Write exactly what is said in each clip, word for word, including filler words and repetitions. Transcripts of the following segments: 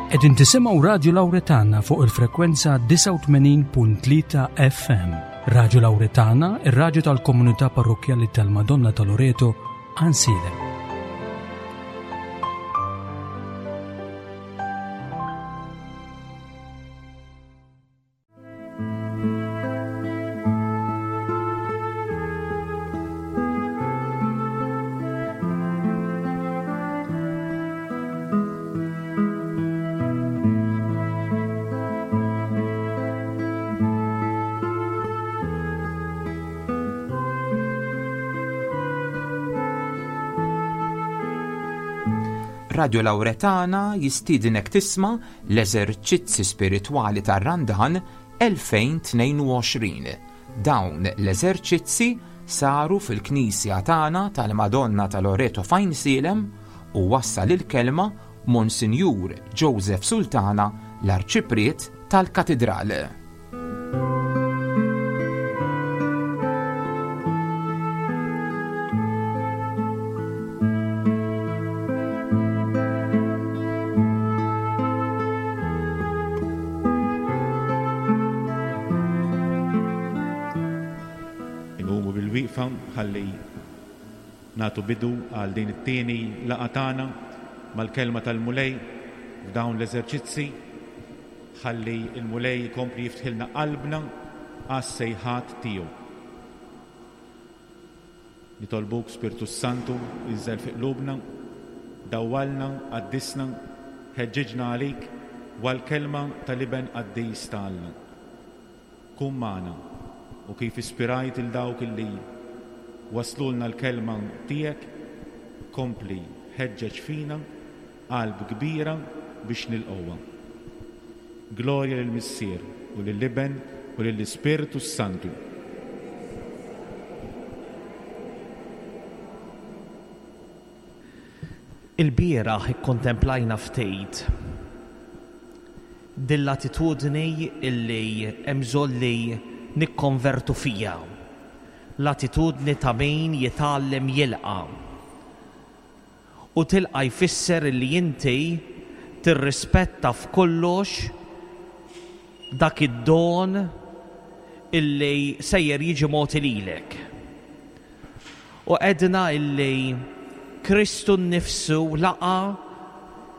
Qegħdin tisimgħu Radio Lauretana fuq il-frekwenza disgħa u tmenin punt tlieta F M. Radio Lauretana, ir-radju tal-komunità parrokkjali tal-Madonna ta' Loreto, Għajnsielem. Radio Lauretana jistiedinek tisma' l-eżerċizzi spiritwali tar-Randan elfejn u tnejn u għoxrin. Dawn l-eżerċizzi saru fil-Knisja tagħna tal-Madonna ta' Loreto f'Għajnsielem u wassal il-kelma Monsinjur Joseph Sultana, l-Arċipriet tal-Katidral. Inqumu bil-wieqfa ħalli nagħtu bidu għal din it-tieni laqgħa tagħna mal-kelma tal-Mulej f'dawn l-eżerċizzi, ħalli il-Mulej jkompli jiftħilna qalbna għas-sejħat tiegħu. Nitolbuk, Spirtu Santu, inżel fi qlubna, dawwalna, qaddisna, ħeġġiġna għalik u għall-kelma tal-Iben qaddis ta' Alla. Kun magħna u kif ispirajt lil dawk illi waslulna l-kelma tiegħek, kompli ħeġġeġ fina qalb kbira biex nilqgħuha. Glorja lill-Missier u lill-Iben u lill-Ispirtu Santu. Il-bieraħ ikkontemplajna ftit din l-attitudni illi hemm bżonn li nikkonvertu fija. L-attitudni ta' min jitgħallem jilqa'. U tilqa' jfisser illi inti tirrispetta f'kollox dak id-don illi sejjer jiġi mogħti lilek. U għedna illi Kristu nnifsu laqa'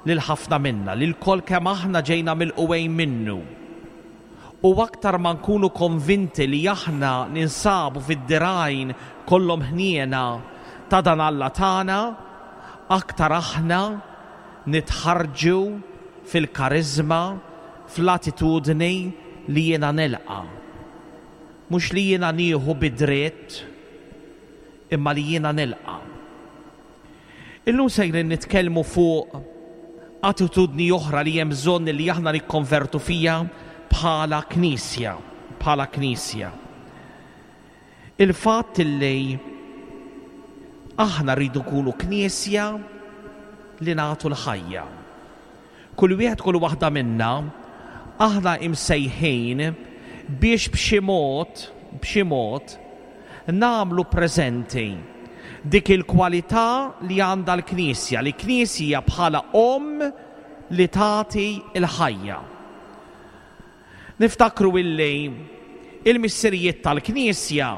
lil ħafna minna, li lkoll kemm aħna ġejna milqugħin minnu. U aktar ma nkunu konvinti li aħna ninsabu fid-dirgħajn kollhom ħniena ta' dan Alla tagħna, aktar aħna nitħarġu fil-karizma, fl-attitudni li jiena nilqa'. Mhux li jiena nieħu bidritt, imma li jiena nilqa'. Illum sejrin nitkellmu fuq attitudni oħra li hemm bżonn li aħna nikkonvertu fija bħala knisja, bħala knisja. Il-fatt li aħna rridu nkunu knisja li nagħtu l-ħajja. Kull wieħed, kull waħda minna, aħna imsejħin biex b'xi mod, b'xi mod, nagħmlu preżenti dik il-kwalità li għandha l-Knisja, li Knisja bħala omm li tagħti l-ħajja. Niftakru illi il-missirijiet tal-Knisja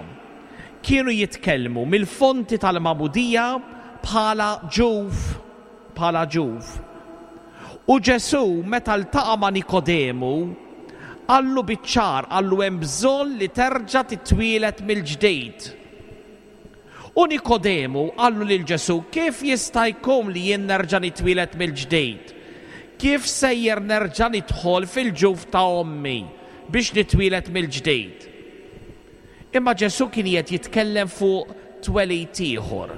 kienu jitkellmu mill-fonti tal-Magħmudija bħala ġuf, bħala ġuf. U Ġesu meta ltaqa' ma' Nikodemu, qallu biċ-ċar, qallu hemm bżonn li terġa' titwieled mill-ġdid. U Nikodemu qallu lil Ġesu, kif jista' jkun li jien nerġa' nitwieled mill-ġdid? Kif sejjer nerġa' nidħol fil-ġuf ta' ommi biex nitwieled mill-ġdid? Imma Ġesu kien qiegħed jitkellem fuq twelid ieħor.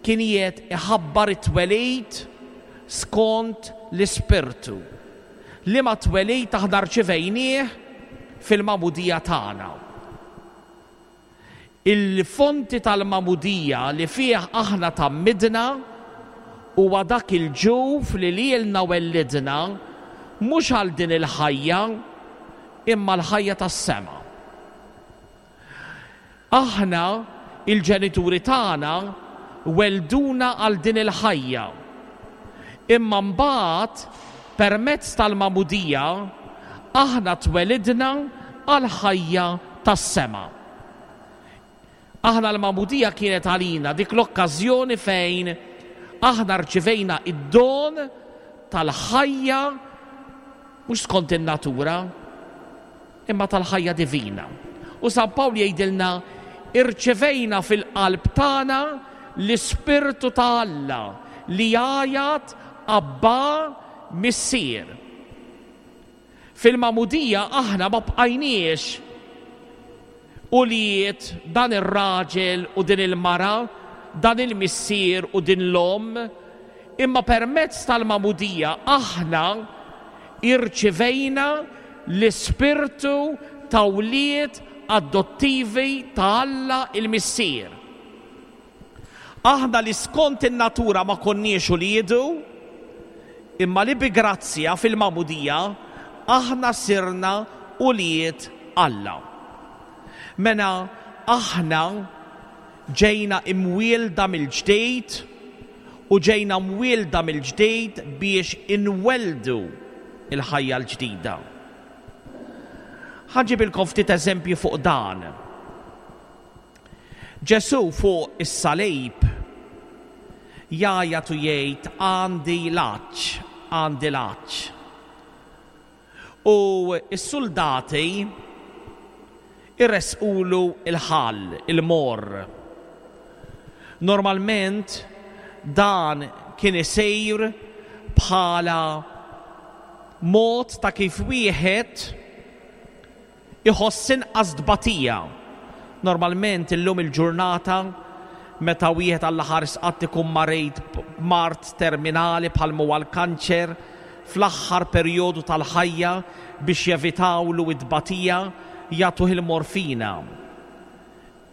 Kien qiegħed iħabbar it-twelid skont l-Ispirtu. Liema twelid aħna rċivejnieh fil-magħmudija tagħna. Il-fonti tal-magħmudija li fih aħna tgħammidna huwa dak il-ġuf li lilna wellidna mhux għal din il-ħajja imma l-ħajja tas-sema. Aħna, il-ġenituri tagħna, welduna għal din il-ħajja. Imma mbagħad permezz tal-magħmudija aħna twelidna għall-ħajja tas-sema. Aħna l-magħmudija kienet għalina dik l-okkażjoni fejn aħna rċivejna id-don tal-ħajja mhux skont in-natura, imma tal-ħajja divina. U San Pawl jgħidilna irċevejna fil-qalb tagħna l-Ispirtu ta' Alla li jgħajjat Abba Missier. Fil-magħmudija aħna ma bqajniex ulied dan ir-raġel u din il-mara, dan il-missier u din l-omm, imma permezz tal-magħmudija aħna irċivejna l-ispirtu ta' wlied adottivi ta' Alla il-Missier. Aħna li skont in-natura ma konniex uliedu, imma li bi grazzja fil-magħmudija aħna sirna ulied Alla. Mela aħna ġejna imwielda mill-ġdid u ġejna mwielda mill-ġdid biex inweldu il-ħajja l-ġdida. Ħa nġibilkom ftit eżempju fuq dan. Ġesù fuq is-salib jgħajjat u jgħid għandi l-għatx, għandi l-għatx. U s-soldati irresqulu il-ħall, il-morr. Normalment dan kien isir bħala mod ta' kif wieħed iħoss inqas tbatija. Normalment illum il-ġurnata meta wieħed Alla ħares qatt ikun marid mard terminali bħal huwa l-kanċer fl-aħħar perjodu tal-ħajja biex jevitawlu it-tbatija jagħtuh il-morfina.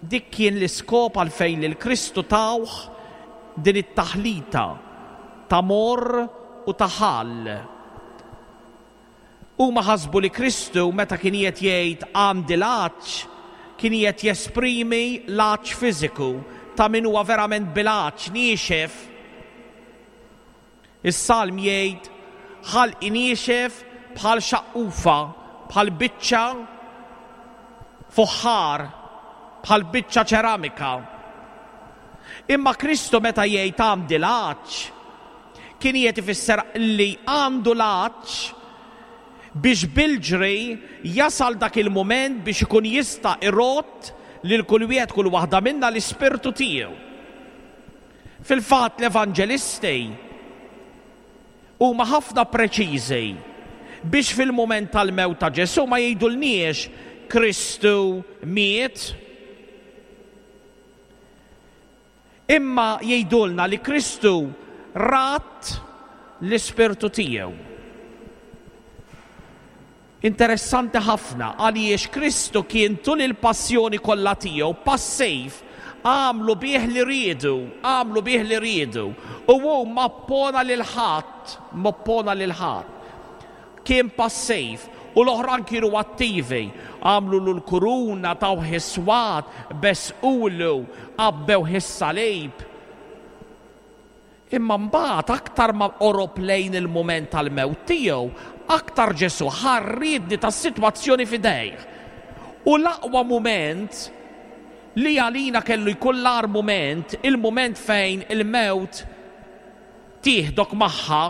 Dik kien l-iskop għalfejn lil Kristu tawh din it-taħlita ta' morr u ta' ħall. Huma ħasbu li Kristu meta kien qed jgħid għandi l-għatx, kien qed jesprimi l-għatx fiżiku ta' min huwa verament bil-għatx niexef. Is-salm jgħid ħalqi niexef bħal xaqqufa, bħal biċċa fuħħar, bħal biċċa ċeramika. Imma Kristu meta jgħid għandi l-għatx, kien qed ifisser li għandu l-għatx biex bil-ġri jasal dak il-mument biex ikun jista' irott lil kull wieħed kull waħda minna l-ispirtu tiegħu. Fil-fatt l-evanġelisti huma ħafna preċiżi biex fil-mument tal-mewt ta' Ġesù ma jgħidulniex Kristu miet, imma jgħidulna li Kristu rat l-ispirtu tiegħu. Interessanti ħafna għaliex Kristu kien tul il-passjoni kollha tiegħu passiv, għamlu bih li riedu, għamlu bih li riedu, u hu ma oppona lil ħadd, ma oppona lil ħadd. Kien passiv u l-oħrajn kienu attivi, għamlu l-kuruna, tawh is-swat, besqulu, għabbewh is-salib. Imma mbagħad aktar ma qorob lejn il-mument tal-mewt tiegħu, aktar Ġesù ħarridni tas-sitwazzjoni f'idejh. U l-aqwa mument li għalina kellu jkun l-agħar mument, il-mument fejn il-mewt tieħdok magħha,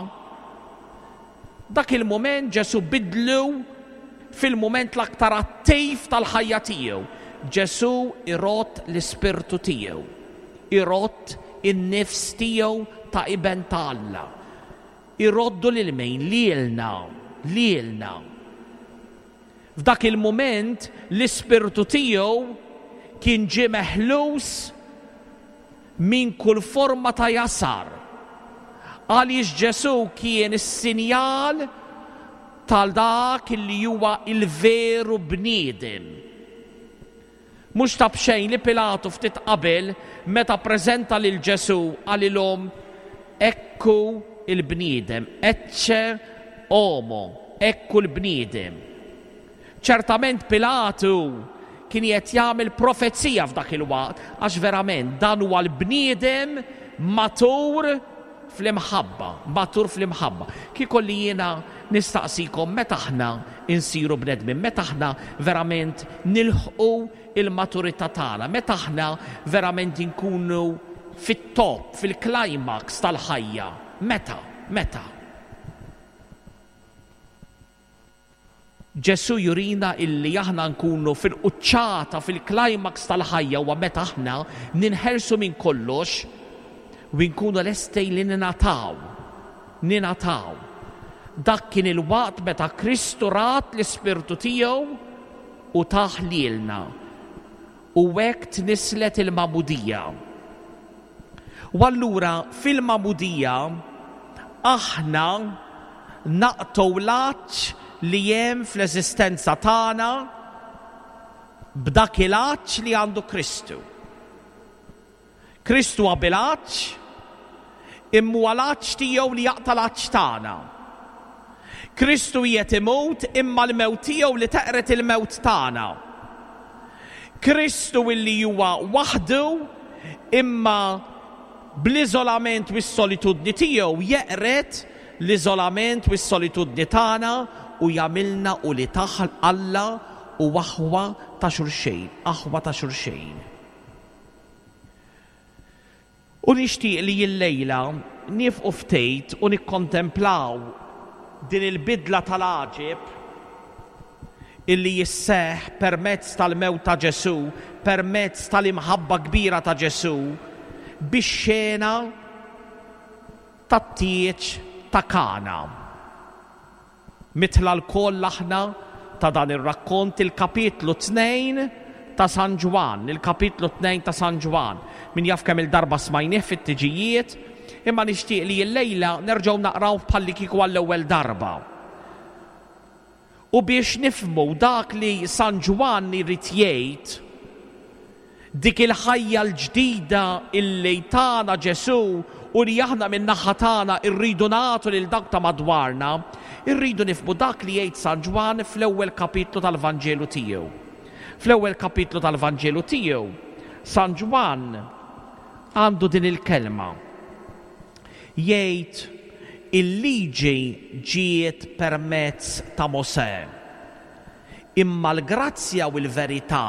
dak il-mument Ġesù bidlu fil-mument l-aktar attiv tal-ħajja tiegħu. Ġesù irott l-ispirtu tiegħu, irott in-nifs tiegħu ta' iben ta' Alla. Iroddu lil min? Lilna, lilna. F'dak il-mument l-ispirtu tiegħu kien ġie meħlus minn kull forma ta' jasar. Għaliex Ġesù kien is-sinjal tal dak li huwa il-veru bniedem. Mhux ta' b'xejn li Pilatu ftit qabel meta ppreżenta lil Ġesù qalilhom ekku il-bniedem, ecce homo, ekku l-bniedem. Ċertament Pilatu kien qed jagħmel profezija f'dak il-waqt għax verament dan huwa l-bniedem matur fl-imħabba, matur fl-imħabba. Kieku li jiena nistaqsikom meta aħna insiru bnedmin, meta aħna verament nilħqu il-maturità tagħna, meta aħna verament inkunu fit-top, fil-climax tal-ħajja. Meta? Meta? Ġesù jurina illi aħna nkunu fil-quċċata, fil-climax tal-ħajja huwa meta aħna ninħelsu minn kollox u nkunu lesti li ninataw. Ninataw. Dak kien il-waqt meta Kristu rat l-Ispirtu tiegħu u tah lilna. U hekk tnislet il-magħmudija. U allura fil-magħmudija aħna naqtgħu l-għatx li hemm fl-eżistenza tagħna b'dak il-għatx li għandu Kristu. Kristu huwa bil-għatx, imma huwa l-għatx tiegħu li jaqta' l-għatx tagħna. Kristu qiegħed imut imma l-mewt tiegħu li teqret il-mewt tagħna. Kristu illi huwa waħdu imma bl-iżolament u s-solitudni tiegħu jeqret l-iżolament u s-solitudni tagħna u jagħmilna u li taħ Alla u aħwa ta' xulxejn, aħwa ta' xulxejn. U nixtieq li llejla nifqu ftit u nikkontemplaw din il-bidla tal-għaġeb illi jisseħ permezz tal-mewt ta' Ġesù, permezz tal-imħabba kbira ta' Ġesù, bix-xena tat-tieġ ta' Kana. Mitla lkoll aħna ta' dan ir-rakkont il-kapitlu tnejn ta' San Ġwann, il-kapitlu tnejn ta' San Ġwann. Min jaf kemm il-darba smajnieh fit-tiġijiet, imma nixtieq li llejla nerġgħu naqraw bħalli kieku għall-ewwel darba. U biex nifhmu dak li San Ġwann irid jgħid, dik il-ħajja l-ġdida illi tana Ġesù u li aħna min-naħa tagħna rridu nagħtu lil dawk ta' madwarna, irridu nifhmu dak li jgħid San Ġwann fl-ewwel kapitlu tal-Vanġelu tiegħu. Fl-ewwel kapitlu tal-Vanġelu tiegħu, San Ġwann għandu din il-kelma. Jgħid il-liġi ġiet permezz ta' Mosè, imma l-grazzja u l-verità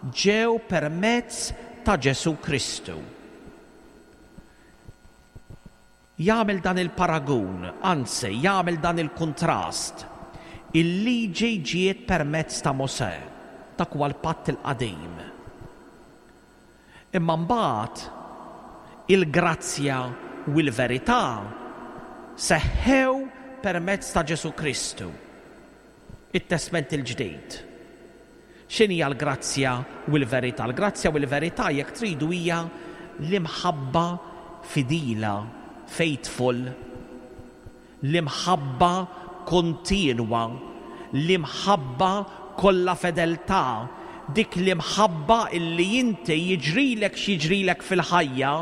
ġew permezz ta' Ġesù Kristu. Jagħmel dan il-paragun, anzi jagħmel dan il-kuntrast. Il-liġi ġiet permezz ta' Mosè, dak huwa l-patt il-qadim. Imma mbagħad il-grazzja u l-verità seħħew permezz ta' Ġesù Kristu, it-Testment il-Ġdid. X'inhi l-grazzja u l-verità? L-grazzja u l-verità jekk tridu hija l-imħabba fidila, faithful, l-imħabba kontinwa, l-imħabba kollha fedeltà, dik l-imħabba illi inti jiġrilek x'jiġrilek fil-ħajja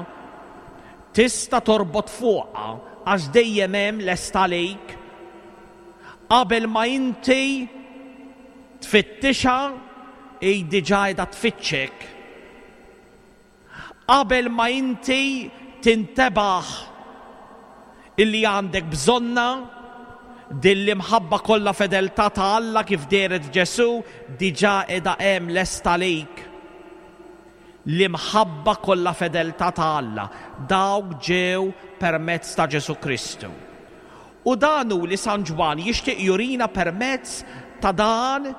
tista' torbot fuqha għax dejjem hemm lest għalik. Qabel ma inti tfittixha hi diġà qiegħda tfittxek. Qabel ma inti tintebaħ illi għandek bżonna, din l-imħabba kollha fedeltà ta' Alla kif dehret f'Ġesù diġà qiegħda hemm lest għalik. L-imħabba kollha fedeltà ta' Alla dawk ġew permezz ta' Ġesù Kristu. U dan hu li San Ġwann jixtieq jurina permezz ta' dan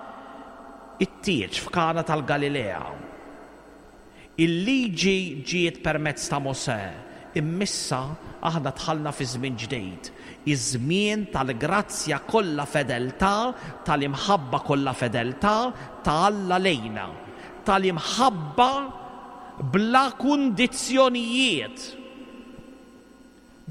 it-tieġ f'Kana tal-Galilea. Il-liġi ġiet permezz ta' Mosè, immissa aħna dħalna fi żmien ġdid, iż-żmien tal-grazzja kollha fedeltà, tal-imħabba kollha fedeltà ta' Alla lejna, tal-imħabba bla kundizzjonijiet.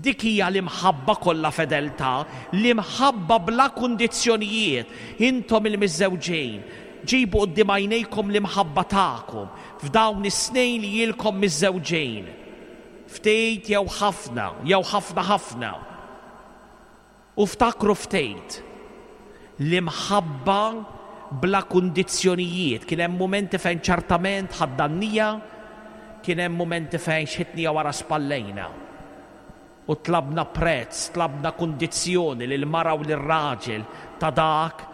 Dik hija l-imħabba kollha fedeltà, l-imħabba bla kundizzjonijiet. Intom il-miżżewġin, ġibu quddiem għajnejkom l-imħabba tagħkom f'dawn is-snin li ilkom miżżewġin. Ftit jew ħafna, jew ħafna ħafna. U ftakru ftit l-imħabba bla kundizzjonijiet. Kien hemm mumenti fejn ċertament ħaddannija, kien hemm mumenti fejn xħitnija wara spallejna. U tlabna prezz, tlabna kundizzjoni lil mara u lir-raġel ta' dak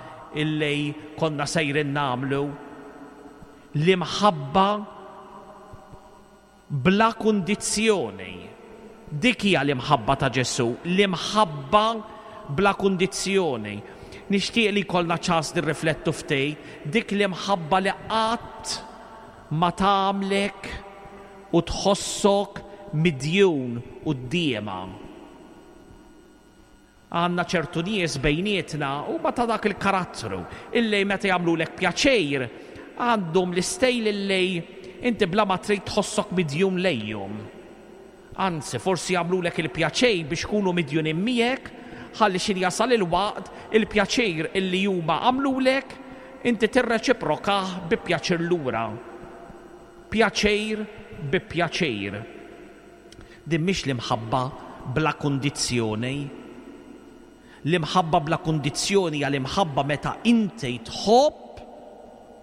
illi konna sejrin nagħmlu. L-imħabba bla kundizzjoni. Dik hija l-imħabba ta' Ġesù, l-imħabba bla kundizzjoni. Nixtieq li jkollna ċans nirriflettu ftit dik l-imħabba li qatt ma tagħmlek u tħossok midjun quddiemha. Għandna ċertu nies bejnietna huma ta' dak il-karattru illi meta jagħmlulek pjaċir għandhom l-istejl illi inti bla ma trid tħossok midjun lejhom. Anzi, forsi jagħmlulek il-pjaċir biex ikunu midjunin miegħek, ħalli xi jasal il-waqt il-pjaċir illi huma għamlulek inti tirreċiprokah bi pjaċir lura. Pjaċir bi pjaċir. Din mhix l-imħabba bla kundizzjoni. L-imħabba bla kundizzjoni hija l-imħabba meta inti tħobb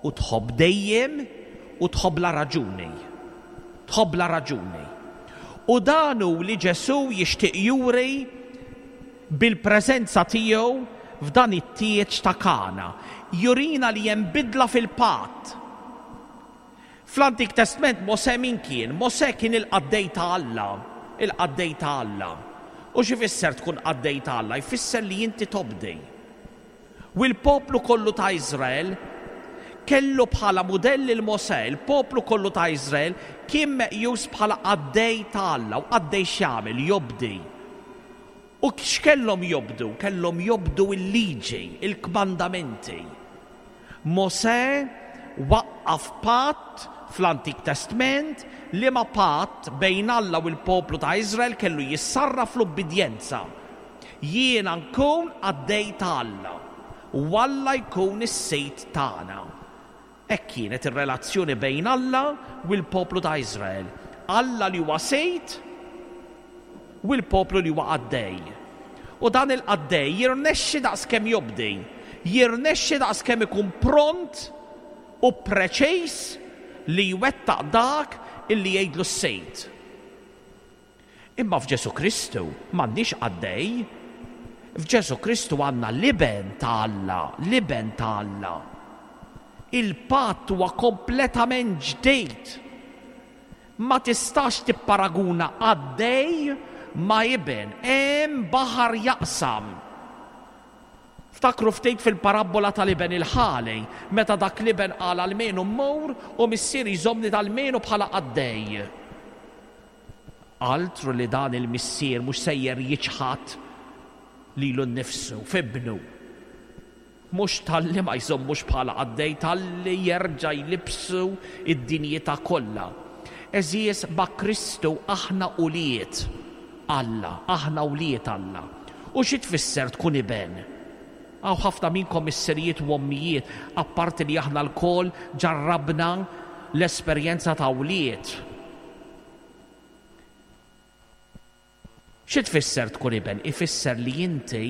u tħobb dejjem u tħobb la raġuni. Tħobb la raġuni. U dan hu li Ġesù jixtieq juri bil-preżenza tiegħu f'dan it-tieġ ta' Kana. Jurina li hemm bidla fil-patt. Fl-Antik Testament Mosè min kien? Mosè kien il-qaddej ta' Alla, il-qaddej ta' Alla. U x'ifisser tkun qaddej ta' Alla? Jfisser li inti tobdi. U l-poplu kollu ta' Iżrael kellu bħala mudell il Mosè, il-poplu kollu ta' Iżrael kien meqjus bħala qaddej ta' Alla, u qaddej x'jagħmel? Jobdi. U x'kellhom jobdu? Kellhom jobdu l-liġi, il-kmandamenti. Mosè waqqaf patt fl-Antik Testament li ma patt bejn Alla u l-poplu ta' Iżrael kellu jissarraf l-ubbidjenza. Jiena nkun qaddej ta' Alla u Alla jkun is-Sid tagħna. Hekk kienet ir-relazzjoni bejn Alla u l-poplu ta' Iżrael. Alla li huwa Sid u l-poplu li huwa qaddej. U dan il-qaddej jirnexxi daqskemm jobdi, jirnexxi daqskemm ikun pront u preċiż li jwettaq dak illi jgħidlu s-Sejd. Imma f'Ġesù Kristu m'għandniex qaddej. F'Ġesù Kristu għandna l-iben ta' Alla, l-iben ta' Alla. Il-patt huwa kompletament ġdid. Ma tistax tipparaguna qaddej ma' iben, hemm baħar jaqsam. Ftakru ftit fil-parabbola tal-iben il-ħali, meta dak l-iben qal almenu mmur u missieri jżommni dal-menu bħala qaddej. Altru li dan il-missier mhux sejjer jiċħad lilu nnifsu f'ibnu. Mhux talli ma jżommux bħala qaddej, talli jerġa' jlibsu id-dinjità kollha. Għeżież, ma' Kristu aħna ulied Alla, aħna ulied Alla. U xi tfisser tkun iben? Hawn ħafna minnkom missirijiet u ommijiet, apparti li aħna lkoll ġarrabna l-esperjenza ta' wlied. Xi tfisser tkun iben? Ifisser li inti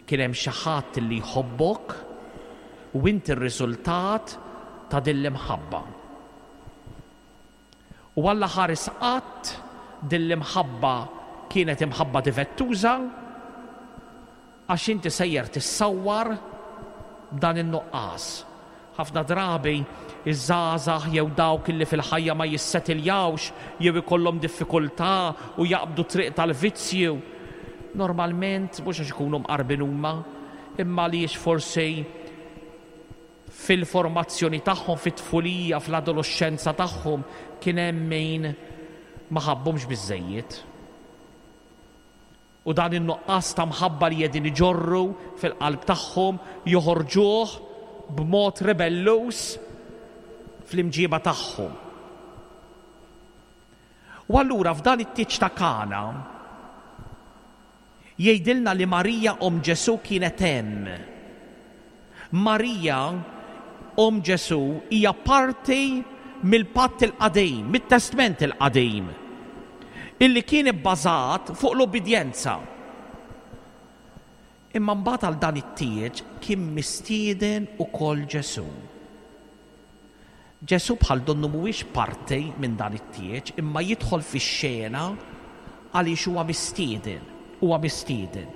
kien hemm xi ħadd li jħobbok u inti r-riżultat ta' din l-imħabba. U Alla ħares qatt din l-imħabba kienet imħabba difettuża, għax inti sejjer tissawwar dan in-nuqqas. Ħafna drabi iż-żgħażagħ jew dawk li fil-ħajja ma jissetiljawx jew ikollhom diffikultà u jaqbdu triq tal-vizzju, normalment mhux għax ikunu mqarbin huma, imma għaliex forsi fil-formazzjoni tagħhom, fit-tfulija, fl-adolescenza tagħhom kien hemm min ma ħabbhomx biżżejjed. U dan in-nuqqas ta' mħabba li qegħdin iġorru fil-qalb tagħhom joħorġuh b'mod rebelluż fl-imġiba tagħhom. U allura f'dan it-tieġ ta' Kana jgħidilna li Marija omm Ġesù kienet hemm. Marija omm Ġesù hija parti mill-patt il-qadim, mit-testment il-qadim, illi kien ibbażat fuq l-obbedjenza. Imma mbagħad għal dan it-tieġ kien mistieden ukoll Ġesù. Ġesù bħal donnu mhuwiex parti minn dan it-tieġ, imma jidħol fix-xena Għaliex huwa mistieden, huwa mistieden.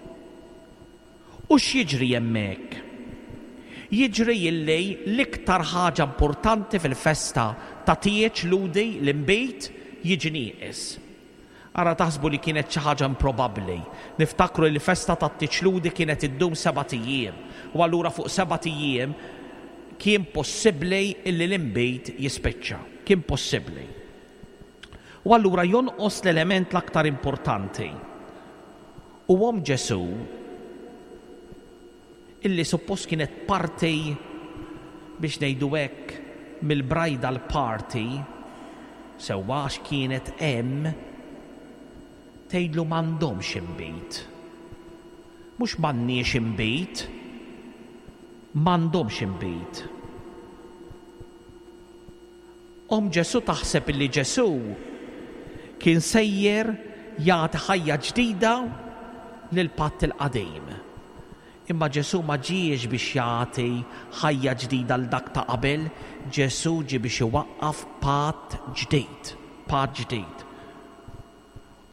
U x'jiġri hemmhekk? Jiġri illi l-iktar ħaġa importanti fil-festa ta' tieġ Lhudi, l-inbid, jiġi nieqes. Ara taħsbu li kienet xi ħaġa improbabbli. Niftakru li l-festa ta' tieġ Lhudi kienet iddum sebat ijiem. U allura fuq sebat ijiem kien possibbli illi l-inbid jispiċċa. Kien possibbli. U allura jonqos l-element l-aktar importanti. U omm Ġesù, illi suppost kienet parti, biex ngħidu hekk, mill-bridal party, sewwa għax kienet hemm, tgħidlu m'għandhomx inbid. Mhux m'għandniex inbid, m'għandhomx inbid. Omm Ġesù taħseb illi Ġesù kien sejjer jagħti ħajja ġdida lill-patt il-qadim. Imma Ġesù ma ġiex biex jagħti ħajja ġdida għal dak ta' qabel, Ġesù ġie biex iwaqqaf patt ġdid, patt ġdid.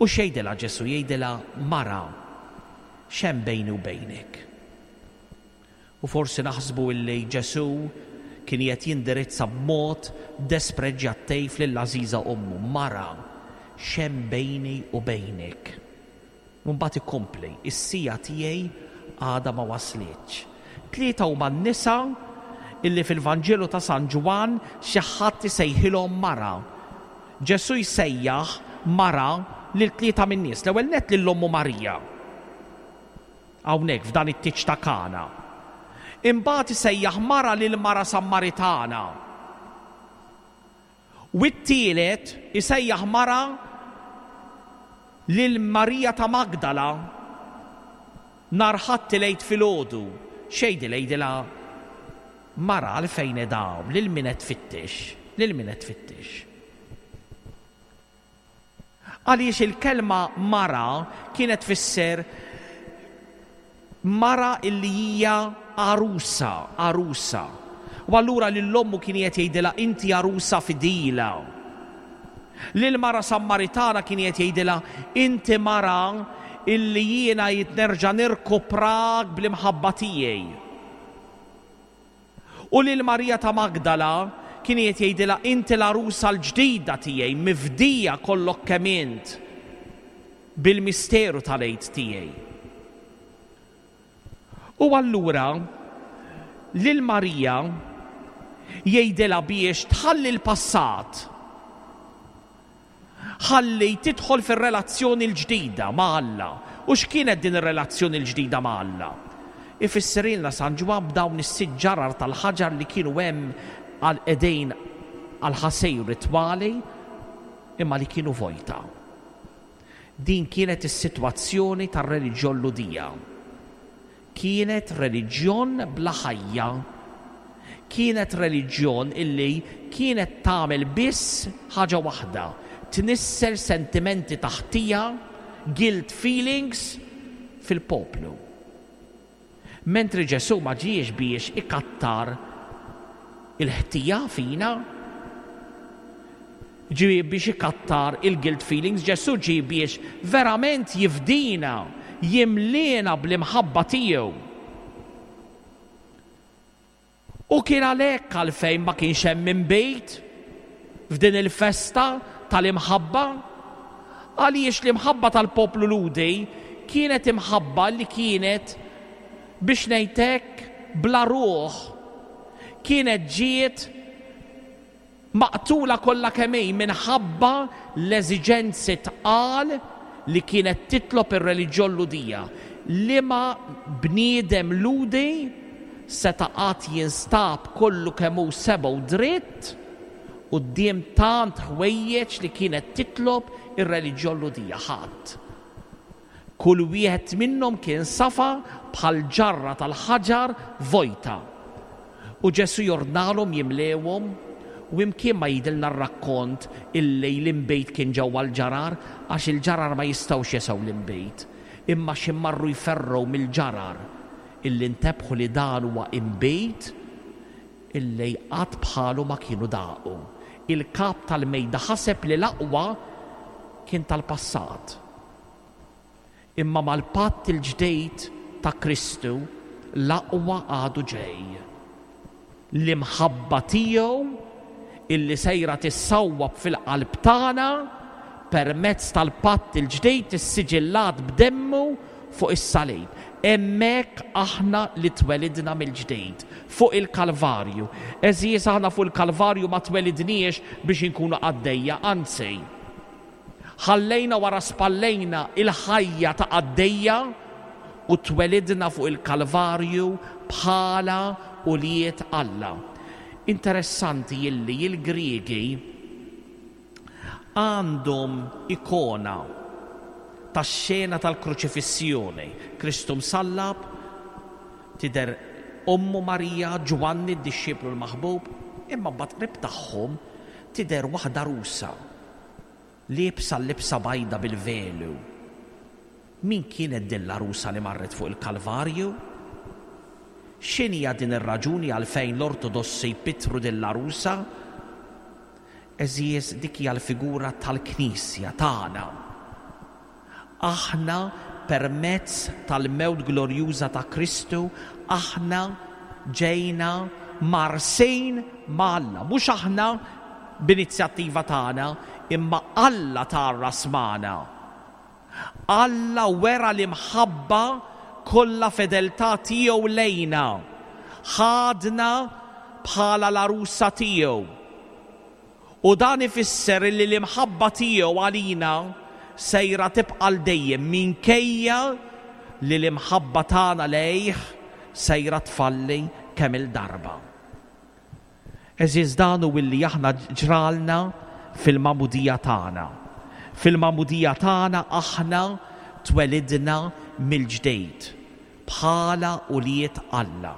U x'jgħidilha Ġesù? Jgħidilha, Mara, x'hemm bejni u bejnek? U forsi naħsbu illi Ġesù kien qed jindirizza b'mod despreġjattiv lil għażiża ommu. Mara, x'hemm bejni u bejnek? U mbagħad ikompli, is-sija tiegħi għadha ma waslitx. Tlieta huma n-nisa illi fil-Vanġelu ta' San Ġwann xi ħadd isejħilhom mara. Ġesù jsejjaħ mara lil tlieta min-nies. L-ewwel nett lil ommu Marija. Hawnhekk f'dan it-tieġ ta' Kana. Imbagħad isejjaħ mara lil mara Sammaritana. U t-tielet isejjaħ mara lil Marija ta' Magdala nhar Ħadd il-Għid filgħodu. X'jgħidilha? Jgħidilha, Mara, għalfejn edaw, lil min qed tfittex, lil min qed tfittex. Għaliex il-kelma mara kienet tfisser mara illi hija għarusa, għarusa. U allura lil ommu kien qed jgħidilha inti għarusa fidila. Lil mara Sammaritana kien qed jgħidilha inti mara illi jiena jitnerġa' nirkuprak bl-imħabba tiegħi. U lil Marija ta' Magdala kien qed jgħidilha inti l-għarusa l-ġdida tiegħi, mifdija kollok kemm int bil-misteru tal-Għid tiegħi. U allura lil Marija jgħidilha biex tħalli l-passat, ħalli tidħol fir-relazzjoni l-ġdida ma' Alla. U x'kienet din ir-relazzjoni l-ġdida ma' Alla? Ifissrilna San Ġwann b'dawn is-sitt ġarar tal-ħaġar li kienu hemm għal qegħdin għal ħasej ritwali imma li kienu vojta. Din kienet is-sitwazzjoni tar-reliġjon Lhudija. Kienet reliġjon bla ħajja. Kienet reliġjon illi kienet tagħmel biss ħaġa waħda, tnissel sentimenti ta' ħtija, guilt feelings fil-poplu. Mentri Ġesù ma ġiex biex ikattar il-ħtija fina, ġie biex ikattar il-guilt feelings, Ġesù ġie biex verament jifdina, jimliena bl-imħabba tiegħu. U kien għalhekk għalfejn ma kienx hemm inbid f'din il-festa tal-imħabba, għaliex l-imħabba tal-poplu Lhudi kienet imħabba li kienet, biex ngħidlek, bla ruħ, kienet ġiet maqtula kollha kemm hi minħabba l-eżiġenzi tqal li kienet titlob ir-reliġjon Lhudija. Liema bniedem Lhudi seta' qatt jinstab kollu kemm hu seba' u dritt quddiem tant ħwejjeġ li kienet titlob ir-reliġjon Lhudija? Ħadd. Kull wieħed minnhom kien safa bħal ġarra tal-ħaġar vojta. U Ġesù jordnalhom jimlewhom, u imkien ma jidilna r-rakkont illi l-inbejt kien ġewwa l-ġarar, għax il-ġarar ma jistgħux jesew l-inbejt, imma xi marru jferrgħu mill-ġarar illi ntebħu li dan huwa inbejt illi qatt bħalu ma kienu daqu. Il-kap tal-mejda ħaseb li l-aqwa kien tal-passat. Imma mal-patt il-ġdid ta' Kristu l-aqwa għadu ġej. L-imħabba tiegħu illi sejra tissawwab fil-qalb tagħna permezz tal-patt il-ġdid issiġillat b'demmu fuq is-salib. Hemmhekk aħna li twelidna mill-ġdid fuq il-Kalvarju. Għeżież, aħna fuq il-Kalvarju ma twelidniex biex inkunu qaddejja, anzi. Ħallejna wara spallejna il-ħajja ta' qaddejja u twelidna fuq il-Kalvarju bħala ulied Alla. Interessanti illi il-Griegi għandhom ikona tax-xena tal-kruċifissjoni. Kristu msallab, tidher ommu Marija, Ġwanni d-dixxiplu l-maħbub, imma mbagħad qrib tagħhom tidher waħda għarusa liebsa l-libsa bajda bil-velu. Min kienet din l-għarusa li marret fuq il-Kalvarju? X'inhija din ir-raġuni għalfejn l-Ortodossi jpittru din l-għarusa? Għeżież, dik hija l-figura tal-Knisja tagħna. Aħna permezz tal-mewt glorjuża ta' Kristu, aħna ġejna mgħarrsin ma' Alla. Mhux aħna b'inizjattiva tagħna, imma Alla tgħarras magħna. Alla wera l-imħabba kollha fedeltà tiegħu lejna. Ħadna bħala l-għarusa tiegħu. U dan ifisser li l-imħabba tiegħu għalina sejra tibqa' l dejjem minkejja li l-imħabba tagħna lejh sejra tfalli kemm il-darba. Għeżież, dan hu illi aħna ġralna fil-magħmudija tagħna. Fil-magħmudija tagħna aħna twelidna mill-ġdid bħala ulied Alla.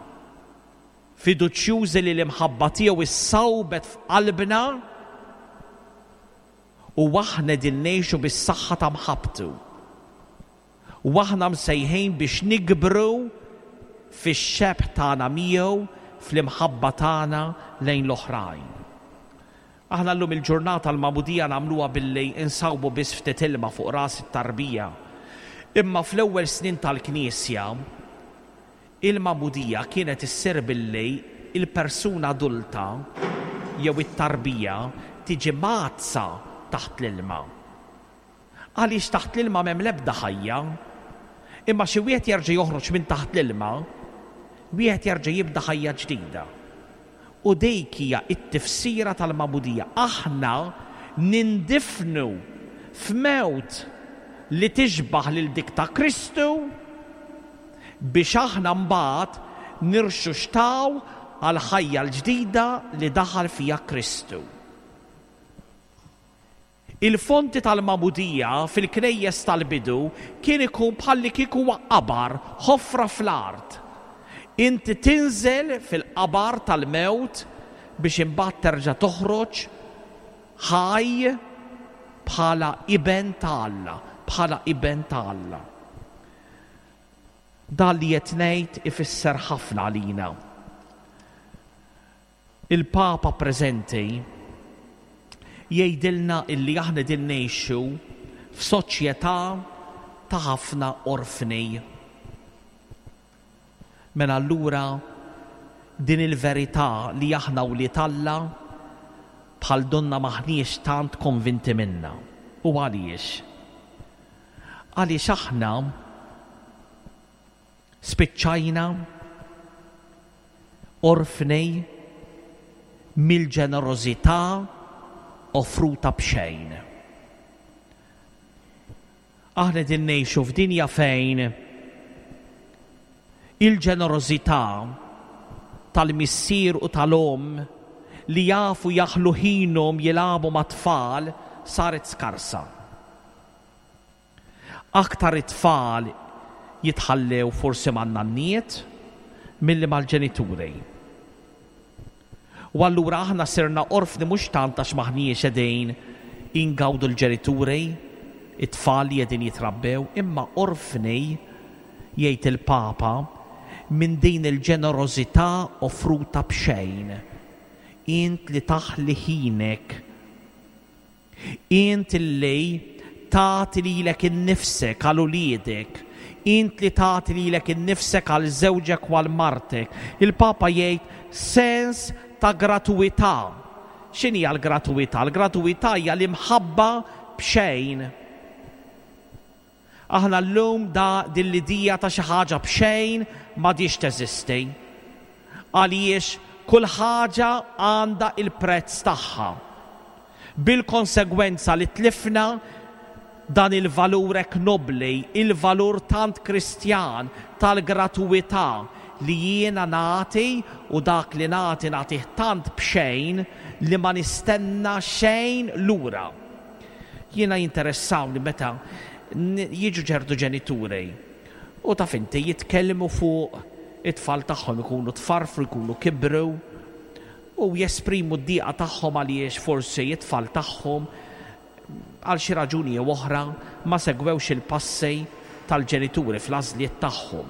Fiduċjużi li l-imħabba tiegħu issawbet f'qalbna u aħna din ngħixu bis-saħħa ta' mħabbtu. U aħna msejħin biex nikbru fix-xebh tagħna miegħu fl-imħabba tagħna lejn l-oħrajn. Aħna llum il-ġurnata l-magħmudija nagħmluha billi insawbu biss ftit ilma fuq ras it-tarbija. Imma fl-ewwel snin tal-Knisja il-magħmudija kienet issir billi il-persuna adulta jew it-tarbija tiġi mgħaddsa taħt l-ilma. Għaliex taħt l-ilma m'hemm l-ebda ħajja, imma xi wieħed jerġa' joħroġ minn taħt l-ilma, wieħed jerġa' jibda ħajja ġdida. U dik hija t-tifsira tal-magħmudija. Aħna nindifnu f'mewt li tixbaħ lil dik ta' Kristu biex aħna mbagħad nirxuxtaw għal ħajja l-ġdida li daħal fija Kristu. Il-fonti tal-magħmudija fil-knejjes tal-bidu kien ikun bħalli kieku huwa qabar, ħofra fl-art. Inti tinżel fil-qabar tal-mewt biex imbagħad terġa' toħroġ ħaj bħala iben ta' Alla, bħala iben ta' Alla. Dan li qed ngħid ifisser ħafna għalina. Il-Papa preżenti jgħidilna illi aħna din ngħixu f'soċjetà ta' ħafna orfni. Mela allura din il-verità li aħna wlied Alla bħal donna m'aħniex tant konvinti minna. U għaliex? Għaliex aħna spiċċajna orfni mill-ġenerożità offruta b'xejn. Aħna din ngħixu f'dinja fejn il-ġenerożità tal-missier u tal-omm li jafu jaħlu ħinhom jilagħbu mat-tfal saret skarsa. Aktar it-tfal jitħallew forsi man-nanniet milli mal-ġenituri. U allura aħna sirna orfni mhux tant għax m'aħniex qegħdin ingawdu l-ġenituri, it-tfal li qegħdin jitrabbew, imma orfni, jgħid il-Papa, minn din il-ġenerożità offruta b'xejn. Int li taħli ħinek, int li tagħti lilek innifsek għal uliedek, int li tagħti lilek innifsek għal żewġek u għal martek. Il-Papa jgħid sens ta' gratuità. X'inhi l-gratuità? L-gratuità hija l-imħabba b'xejn. Aħna llum da din l-idea ta' xi ħaġa b'xejn m'għadhiex teżisti. Għaliex kull ħaġa għandha il-prezz tagħha. Bil-konsegwenza li tlifna dan il-valur hekk nobli, il-valur tant kristjan tal-gratuità li jiena nagħti u dak li nagħti nagħtih tant b'xejn li ma nistenna xejn lura. Jiena jinteressawni meta jiġu ċertu ġenituri u taf inti jitkellmu fuq it-tfal tagħhom ikunu tfarfru, ikunu kibru u jesprimu d-diqa tagħhom għaliex forsi it-tfal tagħhom għal xi raġuni jew oħra ma segwewx il-passi tal-ġenituri fl-għażliet tagħhom.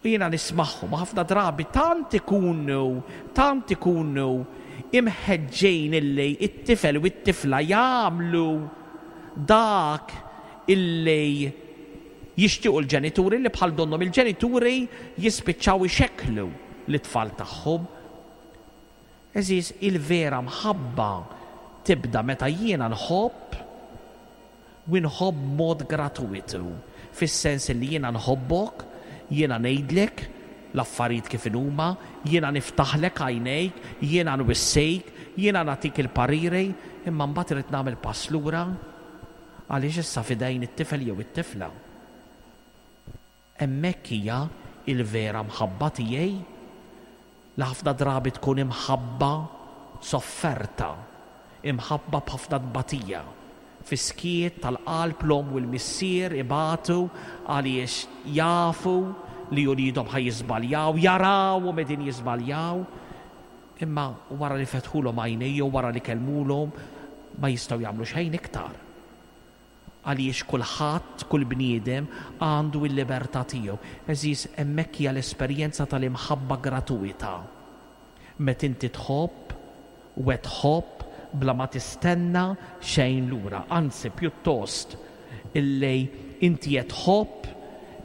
U jiena nismagħhom ħafna drabi tant ikunu, tant ikunu imħeġġejn illi it-tifel u t-tifla jagħmlu dak illi jixtiequ l-ġenituri li bħal donnhom il-ġenituri jispiċċaw ixekklu l-tfal tagħhom. Eżiż, il-vera mħabba tibda meta jiena nħobb u nħobb mod gratuitu, fis-sens li jiena nħobbok, jiena ngħidlek l-affarijiet kif huma, jiena niftaħlek għajnejk, jiena nwissejk, jiena nagħtik il-pariri, imma mbagħad irid nagħmel pass lura għaliex issa f'idejn it-tifel jew it-tifla. Hemmhekk hija il-vera mħabba tiegħi li ħafna drabi tkun imħabba sofferta, imħabba b'ħafna tbatija. Fis-skiet tal-qalb l-omm u l-missier ibatu għaliex jafu li uliedhom ħa jiżbaljaw, jarawhom qegħdin jiżbaljaw, imma wara li fetħulhom għajnejhom, wara li kellmulhom, ma jistgħu jagħmlu xejn iktar. Għaliex kulħadd, kull bniedem għandu l-libertà tiegħu. Eżiż, hemmhekk hija l-esperjenza tal-imħabba gratuita. Meta inti tħobb u qed tħobb bla ma tistenna xejn lura, anzi pjuttost illi inti qed tħobb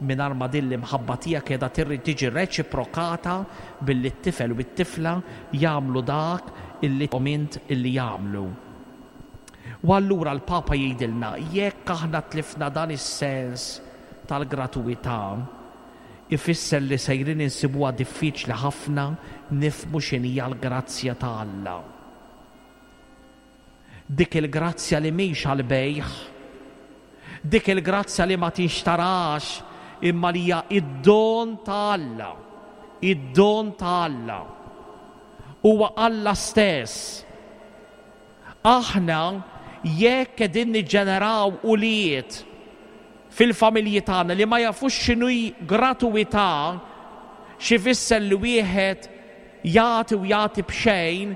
mingħajr ma din l-imħabba tiegħek qiegħda trid tiġi reċiprokata billi t-tifel u t-tifla jagħmlu dak illi int illi jagħmlu. U allura l-Papa jgħidilna jekk aħna tlifna dan is-sens tal-gratuità, ifisser li sejrin insibuha diffiċli ħafna nifhmu x'inhija l-grazzja ta' Alla. Dik il-grazzja li mhix għall-bejgħ, dik il-grazzja li ma tinxtarax, imma li hija id-don ta' Alla, id-don ta' Alla. Huwa Alla stess. Aħna jekk qegħdin niġġeneraw ulied fil-familji tagħna li ma jafux x'inhu gratuità, x'ifisser li wieħed jagħti u jagħti b'xejn,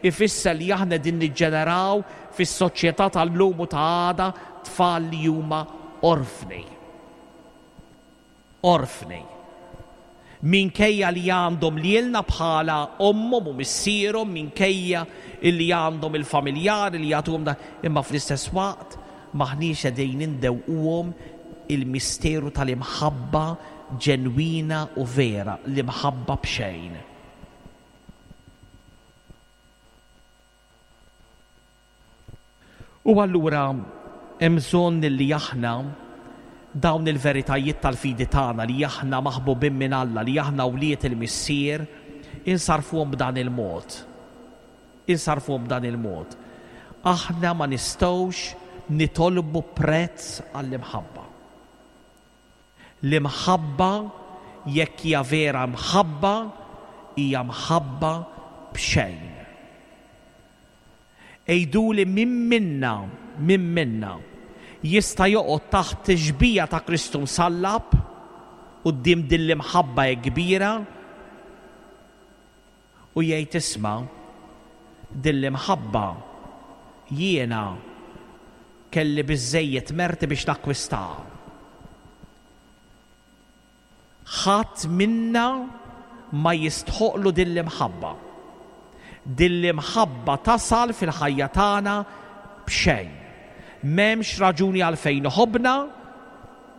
ifisser li aħna qegħdin niġġeneraw fis-soċjetà tal-lum u ta' għada tfal li huma orfni. Orfni. Minkejja li għandhom lilna bħala ommhom u missierhom, minkejja illi għandhom il-familjari li jagħtuhom da, imma fl-istess waqt maħniex qegħdin indewquhom il-misteru tal-imħabba ġenwina u vera, l-imħabba b'xejn. U allura hemm bżonn li aħna dawn il-veritajiet tal-fidi tagħna li aħna maħbubin minn Alla, li aħna wlied il-Missier, insarfuhom b'dan il-mod. Insarfuhom b'dan il-mod. Aħna ma nistgħux nitolbu prezz għall-imħabba. L-imħabba, jekk hija vera mħabba, hija mħabba b'xejn. Għiduli min minna, min minna jista' joqgħod taħt tixbija ta' Kristu msallab quddiem din l-imħabba kbira u jgħid isma' din l-imħabba jiena kelli biżżejjed merti biex nakkwistaha. Ħadd minna ma jistħoqlu din l-imħabba. Din l-imħabba tasal fil-ħajja tagħna b'xejn. M'hemmx raġuni għalfejn iħobbna,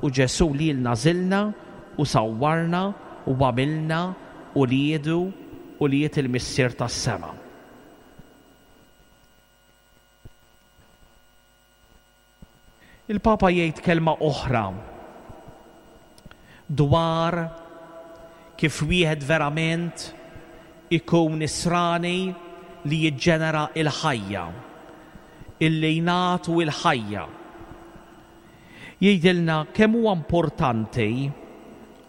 u Ġesù lilna għażilna u sawwarna u għamilna uliedu, ulied il-Missier tas-sema. Il-Papa jgħid kelma oħra dwar kif wieħed verament ikun nisrani li jiġġenera il-ħajja, illi jnatu il-ħajja. Jgħidilna kemm huwa importanti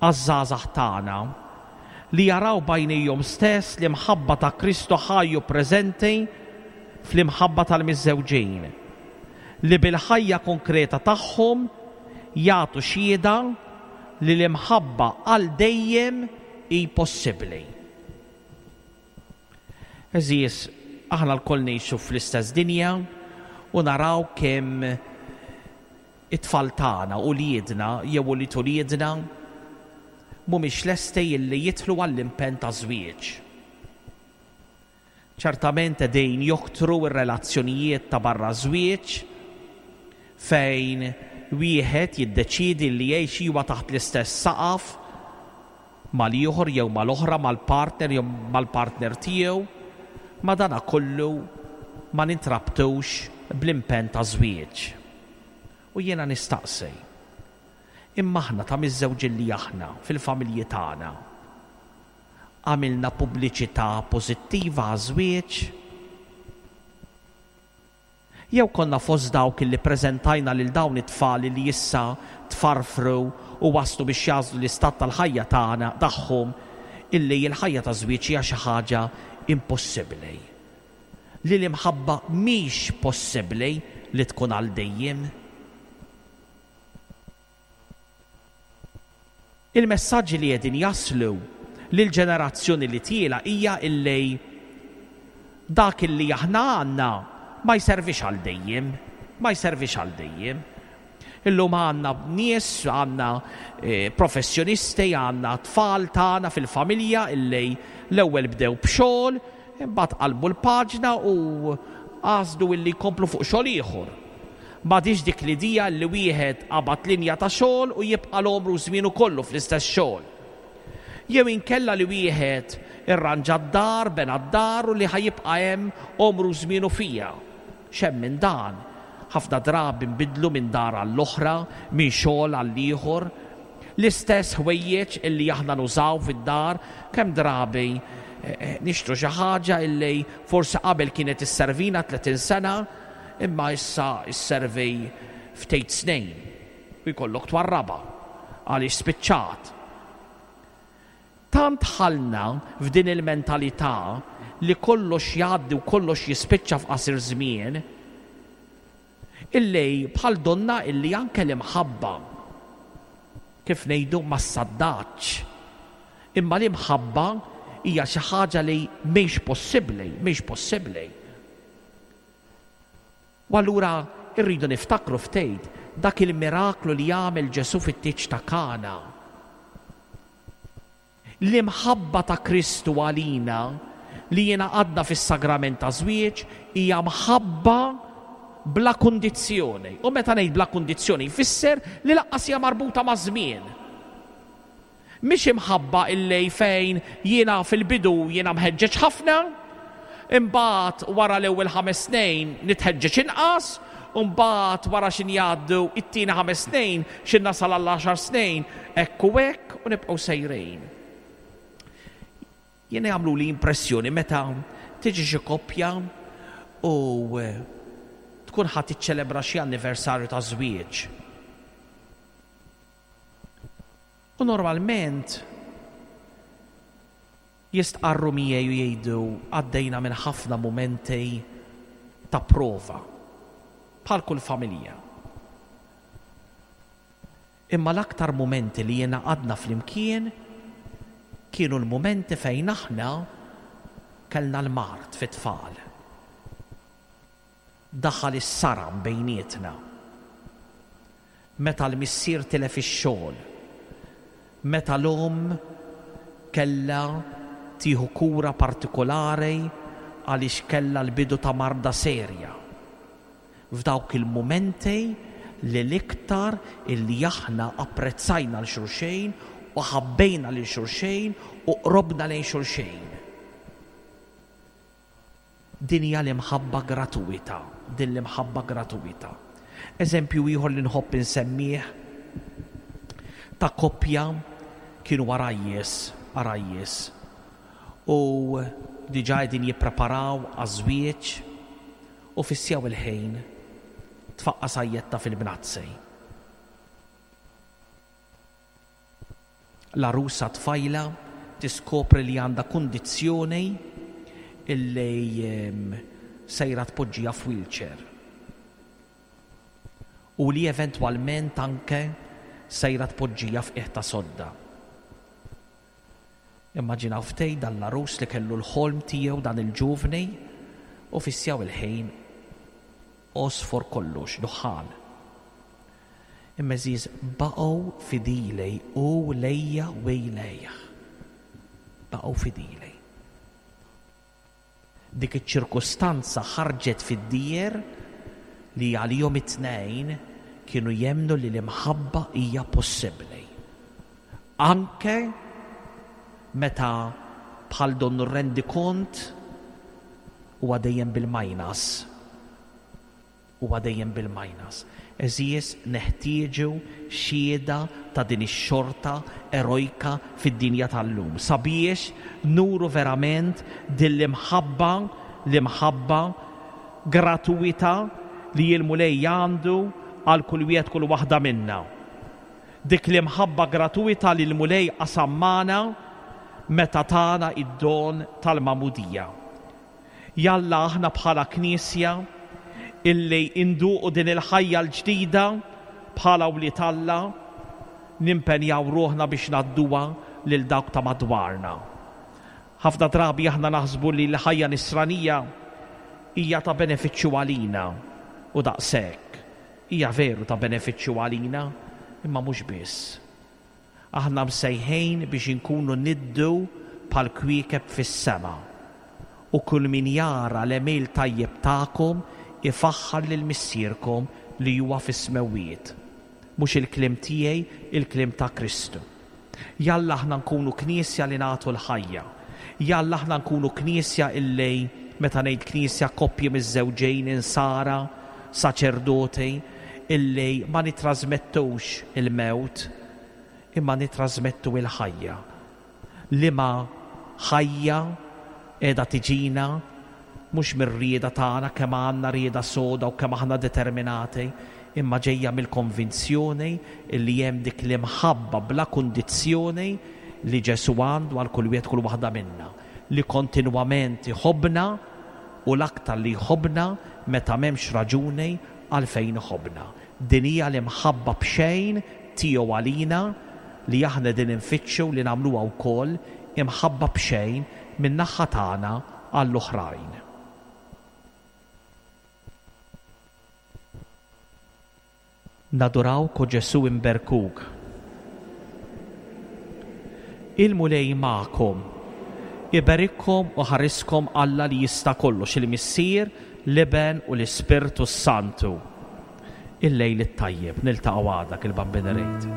għaż-żgħażagħ tagħna li jaraw b'għajnejhom stess l-imħabba ta' Kristu ħaj u preżenti fl-imħabba tal-miżżewġin, li bil-ħajja konkreta tagħhom jagħtu xhieda li l-imħabba għal dejjem hi possibbli. Għeżież, aħna lkoll ngħixu fl-istess dinja u naraw kemm it-tfal tagħna, uliedna jew ulied uliedna mhumiex lesti illi jidħlu għall-impenn ta' żwieġ. Ċertament qegħdin joktru r-relazzjonijiet ta' barra żwieġ fejn wieħed jiddeċiedi li jgħix iwa taħt l-istess saqaf mal-ieħor jew mal-oħra, mal-partner jew mal-partner tiegħu, ma dana kollu ma nintrabtux bl-impenn ta' żwieġ. U jiena nistaqsi, imma aħna ta' miżżewġin li aħna fil-familji tagħna għamilna pubbliċità pożittiva għaż-żwieġ? Jew konna fost dawk li preżentajna lil dawn it-tfal li issa tfarfru u waslu biex jagħżlu l-istat tal-ħajja tagħna tagħhom illi l-ħajja ta' żwieġ hija xi ħaġa impossibbli, li l-imħabba mhix possibbli li tkun għal dejjem. Il-messaġġi li qegħdin jaslu lill-ġenerazzjoni li tiela hija illi dak illi aħna għandna ma jservix għal dejjem, ma jservix għal dejjem. Illum għandna nies, għandna professjonisti, għandna tfal tagħna fil-familja illi l-ewwel bdew b'xogħol, imbagħad qalbu l-paġna u għażlu illi jkomplu fuq xogħol ieħor. M'għadix dik l-idea li wieħed qabad linja ta' xogħol u jibqa' l-għomru żmienu kollu fl-istess xogħol. Jew inkella li wieħed irranġa d-dar, bena d-dar u li ħajibqa' hemm għomru żmienu fija. X'hemm minn dan? Ħafna drabi nbidlu minn dar għall-oħra, minn xogħol għall-ieħor. L-istess ħwejjeġ illi aħna nużaw fid-dar, kemm drabi nixtru xi ħaġa illi forsi qabel kienet isservina tletin sena, imma issa isservi ftit snin u jkollok twarraba għaliex spiċċat. Tant ħalna f'din il-mentalità li kollox jgħaddi u kollox jispiċċa f'qasir żmien, illi bħal donna illi anke l-imħabba, kif ngħidu, ma ssaddatx. Imma l-imħabba hija xi ħaġa li mhix possibbli, mhix possibbli. U allura rridu niftakru ftit dak il-miraklu li jagħmel Ġesù fit-tieġ ta' Kana. L-imħabba ta' Kristu għalina li jingħaqadna fis-sagrament ta' żwieġ hija mħabba bla kundizzjoni. U meta ngħid bla kundizzjoni jfisser li lanqas hija marbuta ma' żmien. Mhix imħabba illi fejn jiena fil-bidu jiena mħeġġeġ ħafna, imbagħad wara l-ewwel ħames snin nitħeġġeġ inqas, u mbagħad wara x'in jgħaddu it-tieni ħames snin x'in nasal għal għaxar snin, hekk u hekk u nibqgħu sejrin. Jiena jagħmlu li impressjoni meta tiġi xi koppja u tkun ħadd tiċċelebra xi anniversarju ta' żwieġ. U normalment jistqarru miegħi u jgħidu għaddejna minn ħafna mumenti ta' prova bħal kull familja. Imma l-aktar mumenti li jiena għadna flimkien kienu l-mumenti fejn aħna kellna l-mard fit-tfal. Daħal is-saram bejnietna. Meta l-missier tilef ix-xogħol, meta l-omm kellha tieħu kura partikolari għaliex kellha l-bidu ta' marda serja. F'dawk il-mumenti li l-iktar illi aħna apprezzajna lil xulxejn u ħabbejna lil xulxejn u qrobna lejn xulxejn. Din hija l-imħabba gratuita, din l-imħabba gratuita. Eżempju ieħor li nħobb insemmih ta' koppja kienu għarajjes, għarajjes. U diġà qegħdin jippreparaw għaż-żwieġ u fissjaw il-ħin tfaqqa' sajjetta fil-bnazzej. L-għarusa tfajla tiskopri li għandha kundizzjoni illi sejra tpoġġiha f'wheelchair. U li eventwalment anke sejra tpoġġiha f'qiegħ ta' sodda. Immaġinaw ftej dan l-għarus li kellu l-ħolm tiegħu dan il-ġuvni u fissjaw il-ħin għosfor kollox, duħħan. Imma għeżież baqgħu fidili u lejja u lejh. Baqgħu fidili. Dik iċ-ċirkustanza ħarġet fid-dieher li għalihom it-tnejn kienu jemmnu li l-imħabba hija possibbli. Anke meta bħal donnu rendikont huwa dejjem bil-minus. Huwa dejjem bil-minus. Għeżież neħtieġu xhieda ta' din ix-xorta erojka fid-dinja tal-lum sabiex nuru verament din l-imħabba, l-imħabba gratuita li l-Mulej għandu għal kull wieħed kull waħda minna. Dik l-imħabba gratuita li l-Mulej qasam magħna meta tana id-don tal-magħmudija. Jalla aħna bħala Knisja illi induqu din il-ħajja l-ġdida bħala wlied Alla, nimpenjaw ruħna biex ngħadduha lil dawk ta' madwarna. Ħafna drabi aħna naħsbu li l-ħajja nisranija hija ta' benefiċċju għalina u daqshekk. Hija veru ta' benefiċċju għalina, imma mhux biss. Aħna msejħin biex inkunu niddu bħal kwiekeb fis-sema. U kull min jara l-għemil tajjeb tagħkom ifaħħar lil missierkom li huwa fis-smewwiet. Mhux il-kliem tiegħi, il-kliem ta' Kristu. Jalla aħna nkunu knisja li nagħtu l-ħajja. Jalla aħna nkunu knisja illi, meta ngħid knisja, koppji miż-żewġejn insara, saċerdoti, illi ma nitrasmettux il-mewt, imma nitrasmettu il-ħajja. Liema ħajja qiegħda tiġina mhux mir-rieda tagħna kemm għandna rieda soda u kemm aħna determinati, imma ġejja mill-konvinzjoni li hemm dik l-imħabba bla kundizzjoni li Ġesù għandu għal kull wieħed kull waħda minna, li kontinwament iħobbna u l-aktar li jħobbna meta m'hemmx raġuni għalfejn iħobbna. Din hija l-imħabba b'xejn tiegħu għalina li aħna din infittxu li nagħmluha wkoll imħabba b'xejn min-naħa tagħna għall-oħrajn. Nadurawk o Ġesù imberkuk. Il-Mulej magħkom, iberikkom u ħariskom Alla li jista' kollox, il-Missier, l-Iben u l-Ispirtu Santu. Il-lejl it-tajjeb, niltaqgħu għada il-Bambin irid.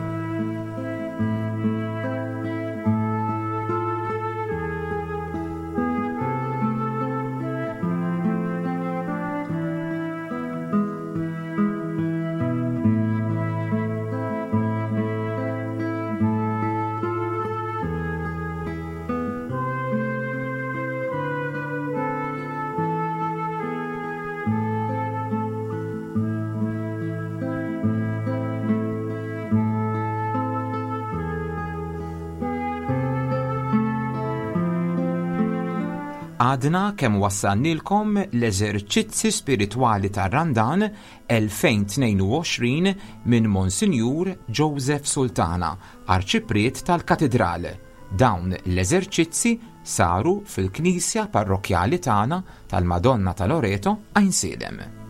Għadna kemm wassalnilkom l-eżerċizzi spiritwali tar-Randan elfejn tnejn u għoxrin minn Monsinjur Joseph Sultana, Arċipriet tal-Katedral. Dawn l-eżerċizzi saru fil-Knisja Parrokkjali tagħna tal-Madonna ta' Loreto, Għajnsielem.